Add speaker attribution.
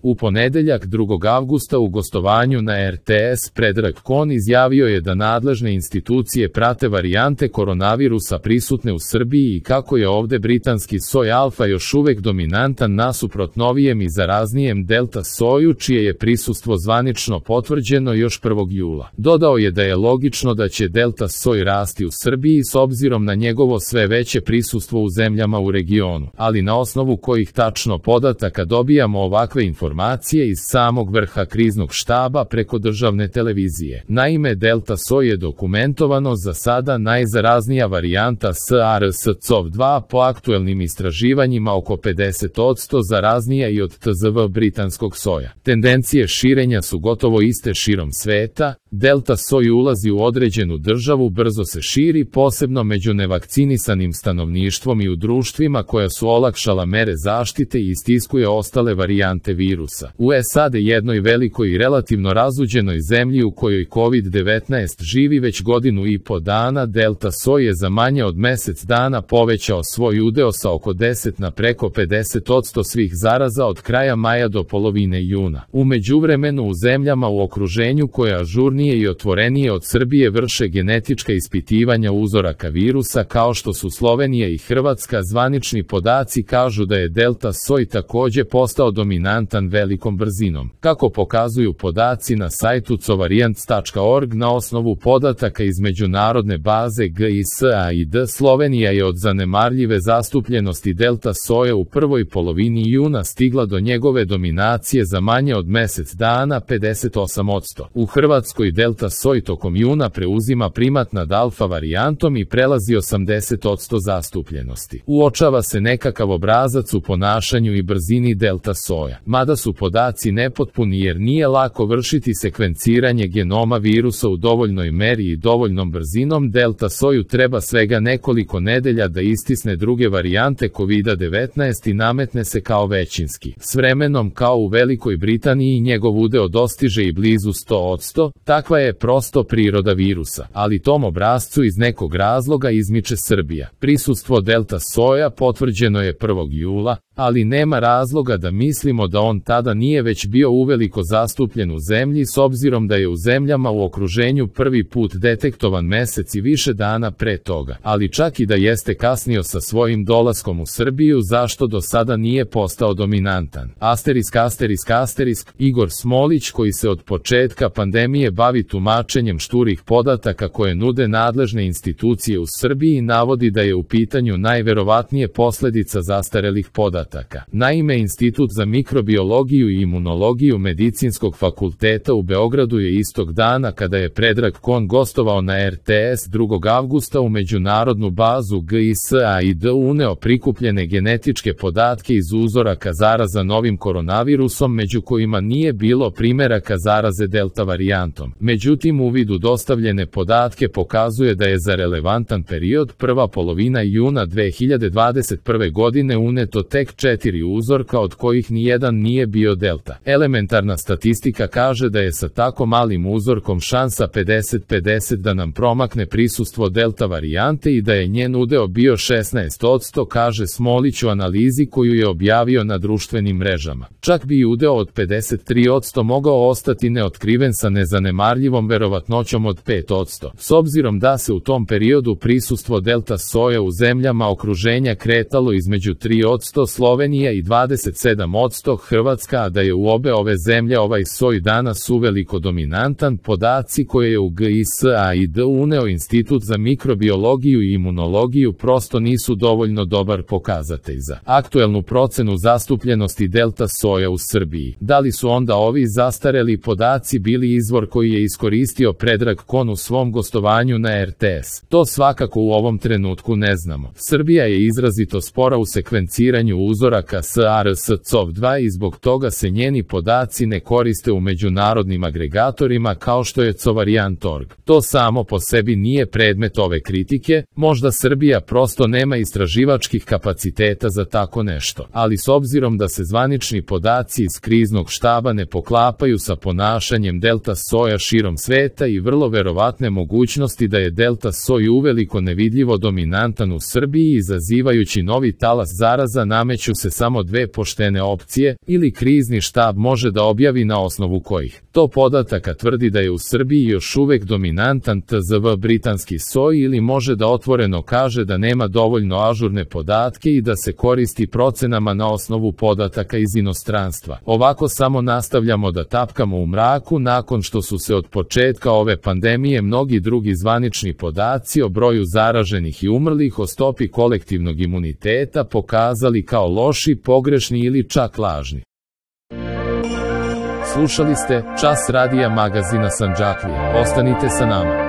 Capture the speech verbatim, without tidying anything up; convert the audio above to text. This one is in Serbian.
Speaker 1: U ponedeljak drugog avgusta u gostovanju na er te es Predrag Kon izjavio je da nadležne institucije prate varijante koronavirusa prisutne u Srbiji i kako je ovde britanski soj alfa još uvek dominantan nasuprot novijem i zaraznijem delta soju čije je prisustvo zvanično potvrđeno još prvog jula. Dodao je da je logično da će delta soj rasti u Srbiji s obzirom na njegovo sve veće prisustvo u zemljama u regionu, ali na osnovu kojih tačno podataka dobijamo ovakve informacije informacije iz samog vrha kriznog štaba preko državne televizije. Naime, delta soj je dokumentovano za sada najzaraznija varijanta SARS-CoV dva po aktuelnim istraživanjima oko pedeset posto zaraznija i od te ze ve britanskog soja. Tendencije širenja su gotovo iste širom sveta, delta soj ulazi u određenu državu, brzo se širi, posebno među nevakcinisanim stanovništvom i u društvima koja su olakšala mere zaštite i istiskuje ostale varijante virusa. U es a de, jednoj velikoj i relativno razuđenoj zemlji u kojoj kovid devetnaest živi već godinu i po dana, delta soj je za manje od mesec dana povećao svoj udeo sa oko deset na preko pedeset posto svih zaraza od kraja maja do polovine juna. U međuvremenu u zemljama u okruženju koje ažurnije i otvorenije od Srbije vrše genetička ispitivanja uzoraka virusa kao što su Slovenija i Hrvatska, zvanični podaci kažu da je delta soj takođe postao dominantan velikom brzinom. Kako pokazuju podaci na sajtu covariants tačka org na osnovu podataka iz međunarodne baze ge i es a i de, Slovenija je od zanemarljive zastupljenosti delta soje u prvoj polovini juna stigla do njegove dominacije za manje od mesec dana pedeset osam posto. U Hrvatskoj delta soj tokom juna preuzima primat nad alfa varijantom i prelazi osamdeset posto zastupljenosti. Uočava se nekakav obrazac u ponašanju i brzini delta soja. Mada su podaci nepotpuni jer nije lako vršiti sekvenciranje genoma virusa u dovoljnoj meri i dovoljnom brzinom, delta soju treba svega nekoliko nedelja da istisne druge varijante kovid devetnaest i nametne se kao većinski. S vremenom, kao u Velikoj Britaniji, njegov udeo dostiže i blizu sto posto, takva je prosto priroda virusa, ali tom obrascu iz nekog razloga izmiče Srbija. Prisustvo delta soja potvrđeno je prvog jula, ali nema razloga da mislimo da on tada nije već bio uveliko zastupljen u zemlji s obzirom da je u zemljama u okruženju prvi put detektovan mesec i više dana pre toga. Ali čak i da jeste kasnio sa svojim dolaskom u Srbiju, zašto do sada nije postao dominantan? Asterisk, asterisk, asterisk. Igor Smolić, koji se od početka pandemije bavi tumačenjem šturih podataka koje nude nadležne institucije u Srbiji, navodi da je u pitanju najverovatnije posledica zastarelih podataka. Naime, Institut za mikrobiologiju i imunologiju Medicinskog fakulteta u Beogradu je istog dana kada je Predrag Kon gostovao na er te es drugog avgusta u međunarodnu bazu ge i es a i de uneo prikupljene genetičke podatke iz uzoraka zaraza novim koronavirusom, među kojima nije bilo primeraka zaraze delta varijantom. Međutim, uvid u dostavljene podatke pokazuje da je za relevantan period prva polovina juna dve hiljade dvadeset prve godine uneto tek četiri uzorka od kojih nijedan nije bio delta. Elementarna statistika kaže da je sa tako malim uzorkom šansa pedeset pedeset da nam promakne prisustvo delta varijante i da je njen udeo bio šesnaest posto, kaže Smolić u analizi koju je objavio na društvenim mrežama. Čak bi i udeo od pedeset tri posto mogao ostati neotkriven sa nezanemarljivom verovatnoćom od pet posto. S obzirom da se u tom periodu prisustvo delta soja u zemljama okruženja kretalo između tri posto Slovenija i dvadeset sedam posto Hrvatska, a da je u obe ove zemlje ovaj soj danas uveliko dominantan, podaci koje je u ge i es a i de uneo Institut za mikrobiologiju i imunologiju prosto nisu dovoljno dobar pokazatelj za aktuelnu procenu zastupljenosti delta soja u Srbiji. Da li su onda ovi zastareli podaci bili izvor koji je iskoristio Predrag Kon u svom gostovanju na er te es? To svakako u ovom trenutku ne znamo. Srbija je izrazito spora u sekvenciranju uzoraka SARS-CoV dva i zbog toga se njeni podaci ne koriste u međunarodnim agregatorima kao što je covariant tačka org. To samo po sebi nije predmet ove kritike, možda Srbija prosto nema istraživačkih kapaciteta za tako nešto, ali s obzirom da se zvanični podaci iz kriznog štaba ne poklapaju sa ponašanjem delta soja širom sveta i vrlo verovatne mogućnosti da je delta soj uveliko nevidljivo dominantan u Srbiji izazivajući novi talas zaraza, nameće nameću se samo dve poštene opcije, ili krizni štab može da objavi na osnovu kojih to podataka tvrdi da je u Srbiji još uvek dominantan T Z V britanski soj ili može da otvoreno kaže da nema dovoljno ažurne podatke i da se koristi procenama na osnovu podataka iz inostranstva. Ovako samo nastavljamo da tapkamo u mraku nakon što su se od početka ove pandemije mnogi drugi zvanični podaci o broju zaraženih i umrlih, o stopi kolektivnog imuniteta pokazali kao loši, pogrešni ili čak lažni. Slušali ste Čas radija magazina Sandžaklija. Ostanite sa nama.